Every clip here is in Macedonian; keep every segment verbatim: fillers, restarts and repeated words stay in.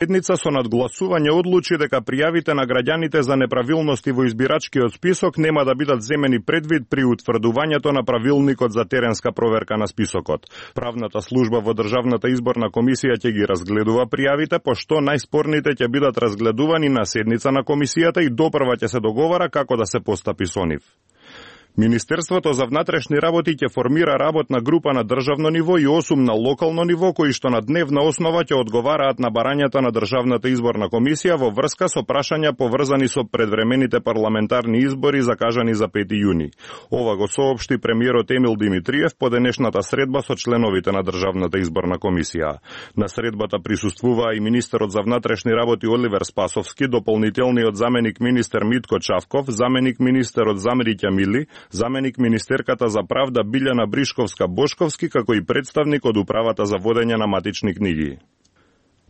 Седница со надгласување одлучи дека пријавите на граѓаните за неправилности во избирачкиот список нема да бидат земени предвид при утврдувањето на правилникот за теренска проверка на списокот. Правната служба во Државната изборна комисија ќе ги разгледува пријавите, пошто најспорните ќе бидат разгледувани на седница на комисијата и допрва ќе се договара како да се постапи со нив. Министерството за внатрешни работи ќе формира работна група на државно ниво и осум на локално ниво, кои што на дневна основа ќе одговараат на барањата на Државната изборна комисија во врска со прашања поврзани со предвремените парламентарни избори закажани за пети јуни. Ова го соопшти премиерот Емил Димитриев по денешната средба со членовите на Државната изборна комисија. На средбата присуствуваа и министерот за внатрешни работи Оливер Спасовски, дополнителниот заменик министер Митко Чавков, заменик министерот Замриќа Мили, заменик министерката за правда Билјана Бришковска-Бошковски, како и представник од управата за водење на матични книги.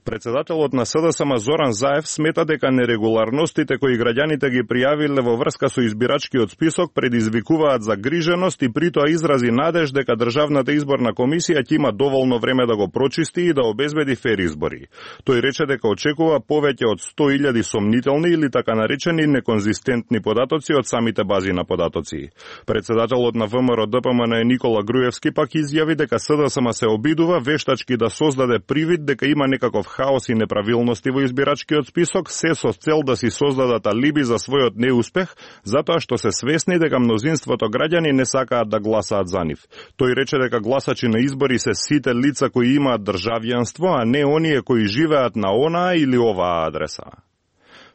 Председателот на СДСМ Зоран Заев смета дека нерегуларностите кои граѓаните ги пријавиле во врска со избирачкиот список предизвикуваат загриженост и притоа изрази надеж дека Државната изборна комисија ќе има доволно време да го прочисти и да обезбеди фер избори. Тој рече дека очекува повеќе од сто илјади сомнителни или така наречени неконзистентни податоци од самите бази на податоци. Председателот на ВМРО Д П М Н Никола Груевски пак изјави дека СДСМ се обидува вештачки да создаде привид дека има некаков хаос и неправилности во избирачкиот список, се со цел да си создадат алиби за својот неуспех, затоа што се свесни дека мнозинството граѓани не сакаат да гласаат за нив. Тој рече дека гласачи на избори се сите лица кои имаат државјанство, а не оние кои живеат на онаа или оваа адреса.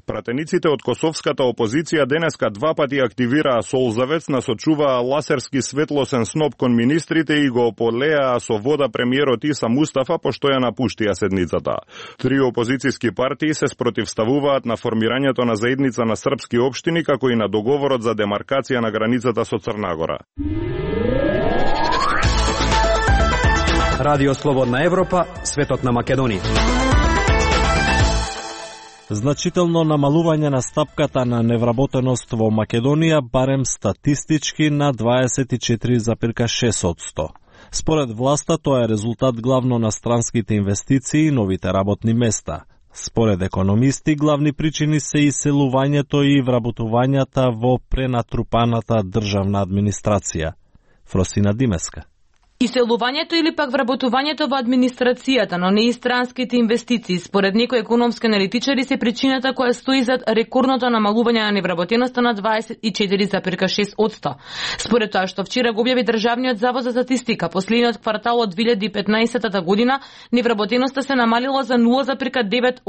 Пратениците од косовската опозиција денеска два пати активираа солзавец, насочуваа ласерски светлосен сноп кон министрите и го ополеаа со вода премиерот Иса Мустафа, пошто ја напуштија седницата. Три опозицијски партии се спротивставуваат на формирањето на заедница на српски општини, како и на договорот за демаркација на границата со Црна Гора. Радио Слободна Европа, светот на Македонија. Значително намалување на стапката на невработеност во Македонија, барем статистички на дваесет и четири зарез и шест одсто. Според власта тоа е резултат главно на странските инвестиции и новите работни места. Според економисти, главни причини се иселувањето и вработувањата во пренатрупаната државна администрација. Фросина Димеска. Иселувањето или пак вработувањето во администрацијата, но не и странските инвестиции, според некои економски аналитичари, се причината која стои зад рекордното намалување на невработеноста на дваесет и четири зарез и шест одсто. Според тоа што вчера го објави Државниот завод за статистика, последниот квартал од две илјади и петнаесетта година невработеноста се намалила за нула зарез девет